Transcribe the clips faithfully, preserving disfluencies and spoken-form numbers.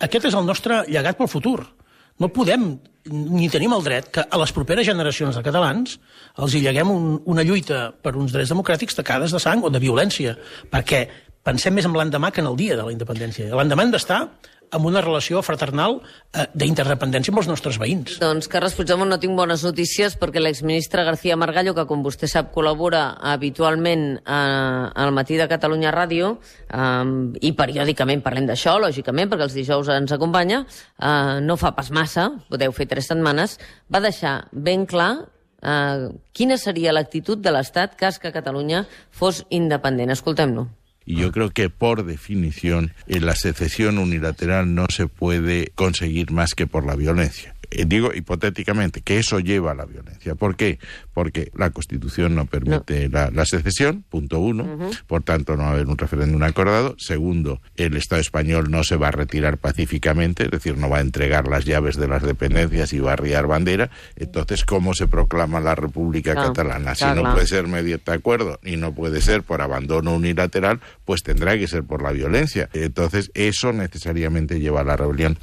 Aquest és el nostre llegat pel futur. No podem ni tenim el dret que a les properes generacions de catalans els hi lleguem un, una lluita per uns drets democràtics tacades de sang o de violència, perquè pensem més en l'endemà que en el dia de la independència. L'endemà hem d'estar amb una relació fraternal eh, d'interdependència amb els nostres veïns. Doncs, Carles Puigdemont, no tinc bones notícies perquè l'exministre García Margallo, que com vostè sap col·labora habitualment eh, al Matí de Catalunya Ràdio, eh, i periòdicament parlem d'això, lògicament, perquè els dijous ens acompanya, eh, no fa pas massa, podeu fer tres setmanes, va deixar ben clar eh, quina seria l'actitud de l'Estat cas que Catalunya fos independent. Escoltem-lo. Y yo creo que, por definición, en la secesión unilateral no se puede conseguir más que por la violencia. Eh, digo hipotéticamente que eso lleva a la violencia. ¿Por qué? Porque la Constitución no permite no. La, la secesión, punto uno. Uh-huh. Por tanto, no va a haber un referéndum acordado. Segundo, el Estado español no se va a retirar pacíficamente, es decir, no va a entregar las llaves de las dependencias y va a arriar bandera. Entonces, ¿cómo se proclama la República claro, Catalana? Si claro, no puede ser mediante acuerdo y no puede ser por abandono unilateral, pues tendrá que ser por la violencia. Entonces, eso necesariamente lleva a la rebelión.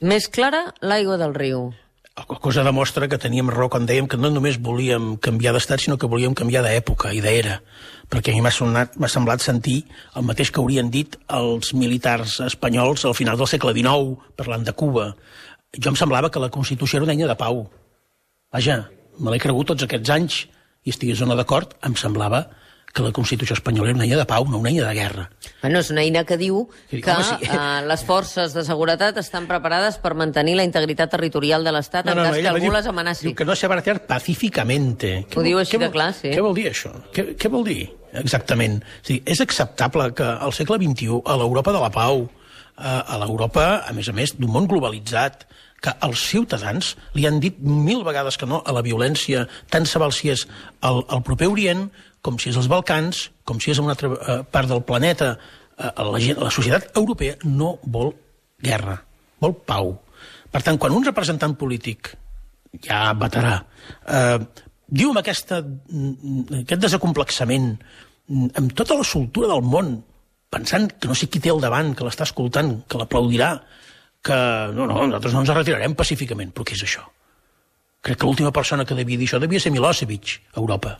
Més clara, l'aigua del riu. La cosa demostra que teníem raó quan dèiem que no només volíem canviar d'estat, sinó que volíem canviar d'època i d'era. Perquè a mi m'ha semblat sentir el mateix que haurien dit els militars espanyols al final del segle dinou, parlant de Cuba. Jo em semblava que la Constitució era una eina de pau. Vaja, me l'he cregut tots aquests anys i estigués o no d'acord, em semblava que la Constitució espanyola era una eina de pau, no una eina de guerra. Bueno, és una eina que diu que sí. eh, les forces de seguretat estan preparades per mantenir la integritat territorial de l'Estat no, no, en cas no, que algú diu, les amenaci. Diu que no se va retirar pacíficamente. Ho diu així de clar, sí. Què vol dir això? Què, què vol dir exactament? O sigui, és acceptable que al segle vint-i-u, a l'Europa de la pau, a l'Europa, a més a més, d'un món globalitzat, que els ciutadans li han dit mil vegades que no a la violència, tant se val si és al, al proper Orient, com si és als Balcans, com si és a una altra eh, part del planeta. Eh, la, gent, la societat europea no vol guerra, vol pau. Per tant, quan un representant polític, ja veterà, eh, diu amb aquesta, aquest desacomplexament, amb tota la soltura del món, pensant que no sé qui té al davant, que l'està escoltant, que l'aplaudirà, que no, no, nosaltres no ens retirarem pacíficament. Però què és això? Crec que l'última persona que devia dir això devia ser Milosevic, a Europa.